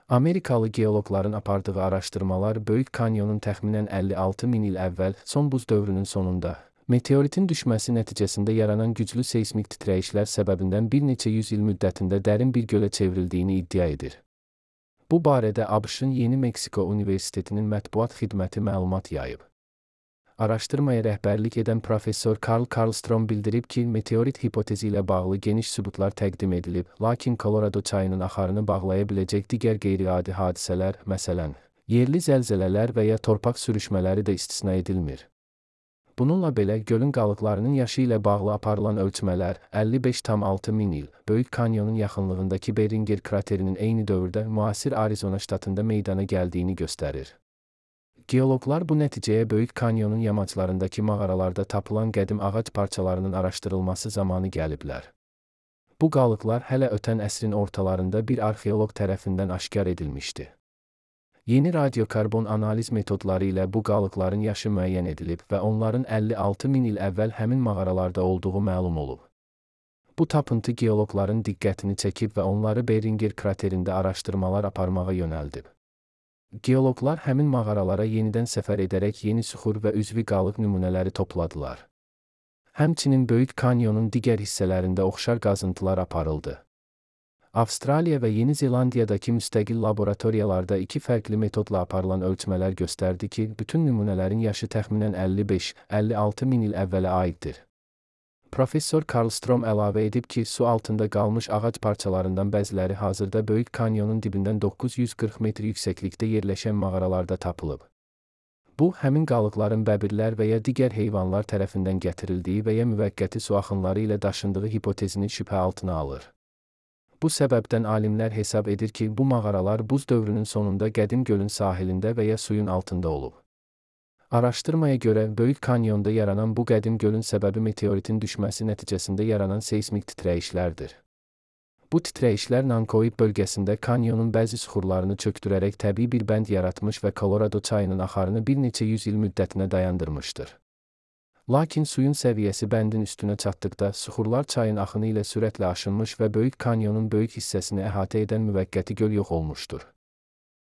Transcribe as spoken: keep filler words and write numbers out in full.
Amerikalı geoloqların apardığı araşdırmalar Böyük Kanyonun təxminən əlli altı min il əvvəl son buz dövrünün sonunda meteoritin düşməsi nəticəsində yaranan güclü seysmik titrəyişlər səbəbindən bir neçə yüz il müddətində dərin bir gölə çevrildiyini iddia edir. Bu barədə ABŞ-ın Yeni Meksiko Universitetinin mətbuat xidməti məlumat yayıb. Araşdırmaya rəhbərlik edən professor Karl Karlstrom bildirib ki, meteorit hipotezi ilə bağlı geniş sübutlar təqdim edilib, lakin Kolorado çayının axarını bağlaya biləcək digər qeyri-adi hadisələr, məsələn, yerli zəlzələlər və ya torpaq sürüşmələri də istisna edilmir. Bununla belə, gölün qalıqlarının yaşı ilə bağlı aparılan ölçmələr əlli beş tam altı min il, Böyük Kanyonun yaxınlığındakı Beringer kraterinin eyni dövrdə müasir Arizona ştatında meydana gəldiyini göstərir. Geoloqlar bu nəticəyə Böyük Kanyonun yamaclarındakı mağaralarda tapılan qədim ağac parçalarının araşdırılması zamanı gəliblər. Bu qalıqlar hələ ötən əsrin ortalarında bir arxeoloq tərəfindən aşkar edilmişdi. Yeni radiokarbon analiz metodları ilə bu qalıqların yaşı müəyyən edilib və onların əlli altı min il əvvəl həmin mağaralarda olduğu məlum olub. Bu tapıntı geoloqların diqqətini çəkib və onları Beringer kraterində araşdırmalar aparmağa yönəldib. Geoloqlar həmin mağaralara yenidən səfər edərək yeni süxur və üzvi qalıq nümunələri topladılar. Həmçinin Böyük Kanyonun digər hissələrində oxşar qazıntılar aparıldı. Avstraliya və Yeni Zelandiyadakı müstəqil laboratoriyalarda iki fərqli metodla aparılan ölçmələr göstərdi ki, bütün nümunələrin yaşı təxminən əlli beş əlli altı min il əvvələ aiddir. Professor Karlstrom əlavə edib ki, su altında qalmış ağac parçalarından bəziləri hazırda Böyük Kanyonun dibindən doqquz yüz qırx metr yüksəklikdə yerləşən mağaralarda tapılıb. Bu, həmin qalıqların bəbirlər və ya digər heyvanlar tərəfindən gətirildiyi və ya müvəqqəti su axınları ilə daşındığı hipotezini şübhə altına alır. Bu səbəbdən alimlər hesab edir ki, bu mağaralar buz dövrünün sonunda qədim gölün sahilində və ya suyun altında olub. Araşdırmaya görə, Böyük Kanyonda yaranan bu qədim gölün səbəbi meteoritin düşməsi nəticəsində yaranan seysmik titrəyişlərdir. Bu titrəyişlər Nankoid bölgəsində kanyonun bəzi süxurlarını çökdürərək təbii bir bənd yaratmış və Kolorado çayının axarını bir neçə yüz il müddətinə dayandırmışdır. Lakin suyun səviyyəsi bəndin üstünə çatdıqda, süxurlar çayın axını ilə sürətlə aşınmış və Böyük Kanyonun böyük hissəsini əhatə edən müvəqqəti göl yox olmuşdur.